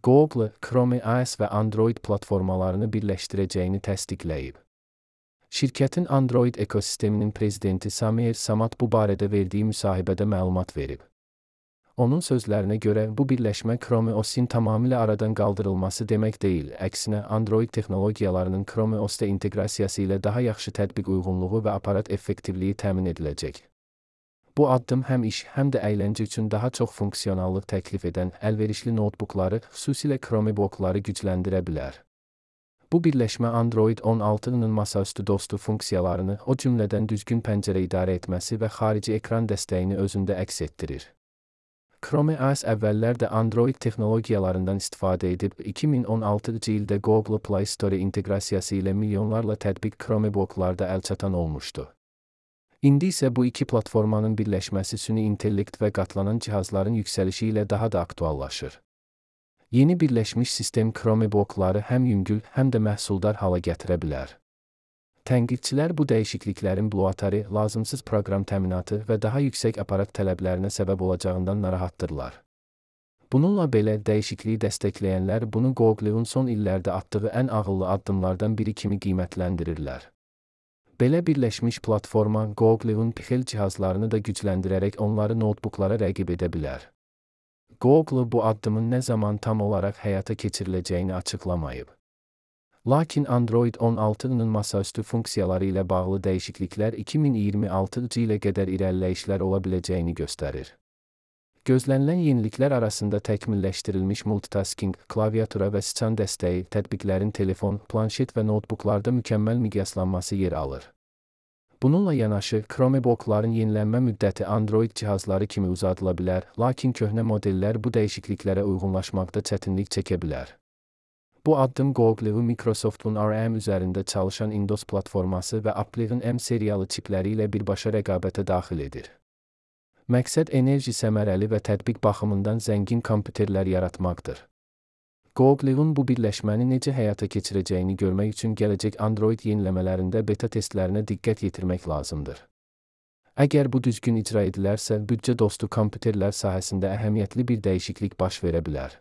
Google, Chrome OS və Android platformalarını birləşdirəcəyini təsdiqləyib. Şirkətin Android ekosisteminin prezidenti Samir Samad bu barədə verdiyi müsahibədə məlumat verib. Onun sözlərinə görə, bu birləşmə Chrome OS-in tamamilə aradan qaldırılması demək deyil, əksinə Android texnologiyalarının Chrome OS-da inteqrasiyası ilə daha yaxşı tətbiq uyğunluğu və aparat effektivliyi təmin ediləcək. Bu addım həm iş, həm də əyləncə üçün daha çox funksionallıq təklif edən əlverişli notebookları, xüsusilə Chromebookları gücləndirə bilər. Bu birləşmə Android 16-nın masaüstü dostu funksiyalarını, o cümlədən düzgün pəncərə idarə etməsi və xarici ekran dəstəyini özündə əks etdirir. Chrome OS əvvəllər də Android texnologiyalarından istifadə edib, 2016-cı ildə Google Play Store inteqrasiyası ilə milyonlarla tətbiq Chromebooklarda əlçatan olmuşdu. İndi isə bu iki platformanın birləşməsi süni intellekt və qatlanan cihazların yüksəlişi ilə daha da aktuallaşır. Yeni birləşmiş sistem Chromebookları həm yüngül, həm də məhsuldar hala gətirə bilər. Tənqidçilər bu dəyişikliklərin bloatari, lazımsız proqram təminatı və daha yüksək aparat tələblərinə səbəb olacağından narahatdırlar. Bununla belə, dəyişikliyi dəstəkləyənlər bunu Google'un son illərdə atdığı ən ağıllı addımlardan biri kimi qiymətləndirirlər. Belə birləşmiş platforma Google'un Pixel cihazlarını da gücləndirərək onları notebooklara rəqib edə bilər. Google bu addımın nə zaman tam olaraq həyata keçiriləcəyini açıqlamayıb. Lakin Android 16-nın masaüstü funksiyaları ilə bağlı dəyişikliklər 2026-cı ilə qədər irəliləyişlər ola biləcəyini göstərir. Gözlənilən yeniliklər arasında təkmilləşdirilmiş multitasking, klaviatura və siçan dəstəyi, tətbiqlərin telefon, planşet və notebooklarda mükəmməl miqyaslanması yer alır. Bununla yanaşı, Chromebookların yenilənmə müddəti Android cihazları kimi uzadıla bilər, lakin köhnə modellər bu dəyişikliklərə uyğunlaşmaqda çətinlik çəkə bilər. Bu addım Google-u Microsoft'un ARM üzərində çalışan Windows platforması və Apple'ın M seriyalı çipləri ilə birbaşa rəqabətə daxil edir. Məqsəd enerji səmərəli və tətbiq baxımından zəngin kompüterlər yaratmaqdır. Google-un bu birləşməni necə həyata keçirəcəyini görmək üçün gələcək Android yeniləmələrində beta testlərinə diqqət yetirmək lazımdır. Əgər bu düzgün icra edilərsə, büdcə dostu kompüterlər sahəsində əhəmiyyətli bir dəyişiklik baş verə bilər.